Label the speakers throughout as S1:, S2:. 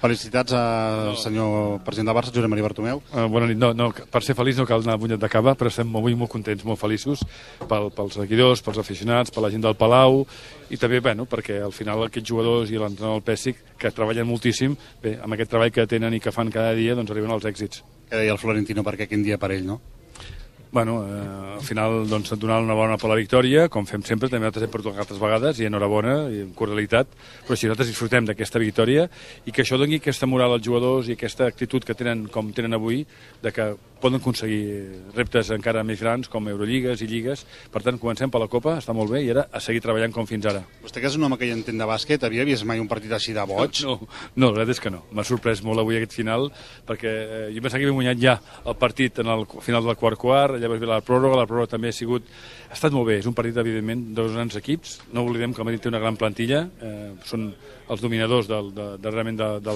S1: Felicitats al senyor president del Barça, Josep Maria Bartomeu.
S2: Bona nit. No, per ser feliç no cal anar a punyet de cava, però estem avui molt contents, molt feliços pels seguidors, pels aficionats, per la gent del Palau i també, perquè al final aquests jugadors i l'entrenador del Pèssic, que treballen moltíssim, bé, amb aquest treball que tenen i que fan cada dia, doncs arriben als èxits.
S1: Què deia el Florentino, perquè quin dia per ell, no?
S2: Al final doncs, donar una bona per la victòria, com fem sempre, també nosaltres hem perdut altres vegades, i enhorabona, i amb cordialitat, però si nosaltres disfrutem d'aquesta victòria i que això doni aquesta moral als jugadors i aquesta actitud que tenen, com tenen avui, de que poden aconseguir reptes encara més grans, com Eurolligues i Lligues. Per tant, comencem per la Copa, està molt bé, i ara a seguir treballant com fins ara.
S1: Vostè, que és un home que hi entén de bàsquet, havia vist mai un partit així de boig?
S2: No, la veritat és que no. M'ha sorprès molt avui aquest final, perquè jo pensava que havia guanyat ja el partit en el final del quart, llavors ve la pròrroga també ha estat molt bé. És un partit, evidentment, dos grans equips. No oblidem que el Madrid té una gran plantilla, són els dominadors del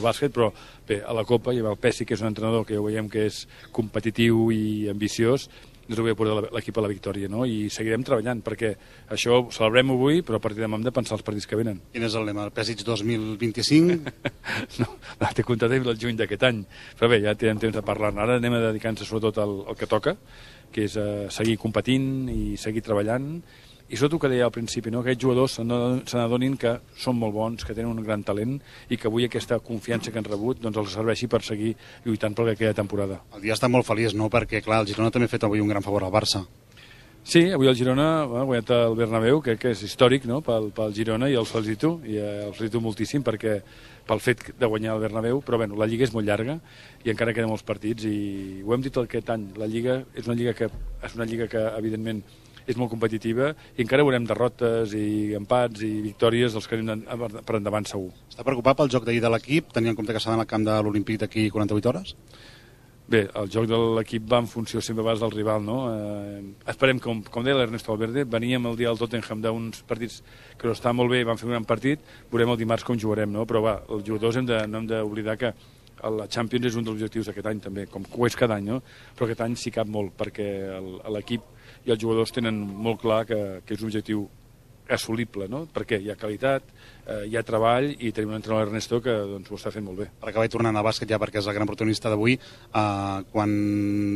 S2: bàsquet, però bé, a la Copa hi ha el Pèssic, que és un entrenador que ja veiem que és competitiu i ambiciós, ens ho ve a portar l'equip a la victòria, no? I seguirem treballant, perquè això ho celebrem avui, però a partir de demà hem de pensar els partits que venen.
S1: Quin és el lema? El Pèssic 2025?
S2: No, té comptat el juny d'aquest any, però bé, ja tindrem temps de parlar-ne. Ara anem a dedicar-nos sobretot al que toca, que és seguir competint i seguir treballant, i sobretot que deia al principi, no? Que aquests jugadors se n'adonin que són molt bons, que tenen un gran talent i que avui aquesta confiança que han rebut doncs els serveixi per seguir lluitant per la que queda temporada.
S1: El dia està molt feliç, no? Perquè, clar, el Girona també ha fet avui un gran favor al Barça.
S2: Sí, avui el Girona ha guanyat el Bernabéu, que és històric, no? Pel Girona, i el felicito moltíssim perquè pel fet de guanyar el Bernabéu, però bueno, la Lliga és molt llarga i encara queden molts partits i ho hem dit aquest any, la Lliga és una lliga que evidentment és molt competitiva i encara veurem derrotes i empats i victòries dels que anem per endavant segur.
S1: Està preocupat pel joc d'ahir de l'equip, tenint en compte que s'ha d'anar al camp de l'Olimpíc d'aquí 48 hores?
S2: Bé, el joc de l'equip va en funció sempre a vegades del rival, no? Esperem, com deia l'Ernesto Valverde, veníem el dia del Tottenham d'uns partits que no estaven molt bé i van fer un gran partit, veurem el dimarts com jugarem, no? Però va, els jugadors no hem d'oblidar que la Champions és un dels objectius d'aquest any també, com ho és cada any, no? Però aquest any sí cap molt, perquè l'equip i els jugadors tenen molt clar que és un objectiu assolible, no? Perquè hi ha qualitat, hi ha treball i tenim un entrenador, Ernesto, que doncs, ho està fent molt bé.
S1: Per acabar tornant al bàsquet ja, perquè és el gran protagonista d'avui, quan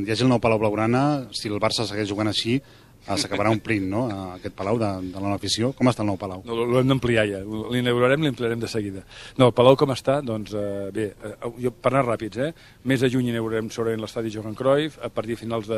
S1: hi hagi el nou Palau Blaugrana, si el Barça segueix jugant així, s'acabarà omplint, no?, aquest Palau de la nova afició. Com està el nou Palau?
S2: No, l'hem d'ampliar ja, l'ampliarem de seguida. No, el Palau com està? Doncs bé, per anar ràpids, mes de juny inaugurarem segurament l'estadi Johan Cruyff, a partir de finals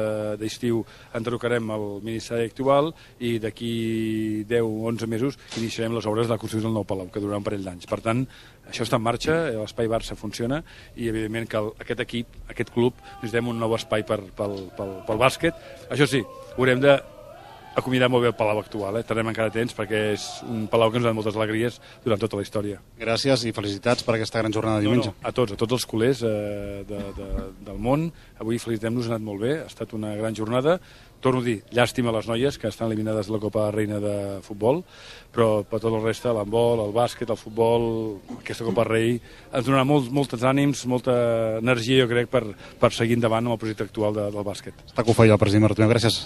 S2: d'estiu enderrocarem el Ministeri actual i d'aquí 10-11 mesos iniciarem les obres de la construcció del nou Palau, que durarà un parell d'anys. Per tant, això està en marxa, l'espai Barça funciona i evidentment que aquest equip, aquest club, necessitem un nou espai pel bàsquet. Això sí, haurem d'acomiadar molt bé el Palau actual, estarem encara atents perquè és un Palau que ens ha donat moltes alegries durant tota la història.
S1: Gràcies i felicitats per aquesta gran jornada de diumenge.
S2: A tots els culers del món, avui felicitem-nos, ha anat molt bé, ha estat una gran jornada. Torno a dir, llàstima a les noies que estan eliminades de la Copa Reina de Futbol, però per tot el reste, l'handbol, el bàsquet, el futbol, aquesta Copa Rei, ens donarà molts ànims, molta energia, jo crec, per seguir endavant amb el projecte actual del bàsquet.
S1: Està que ho feia el president Bartomeu, gràcies.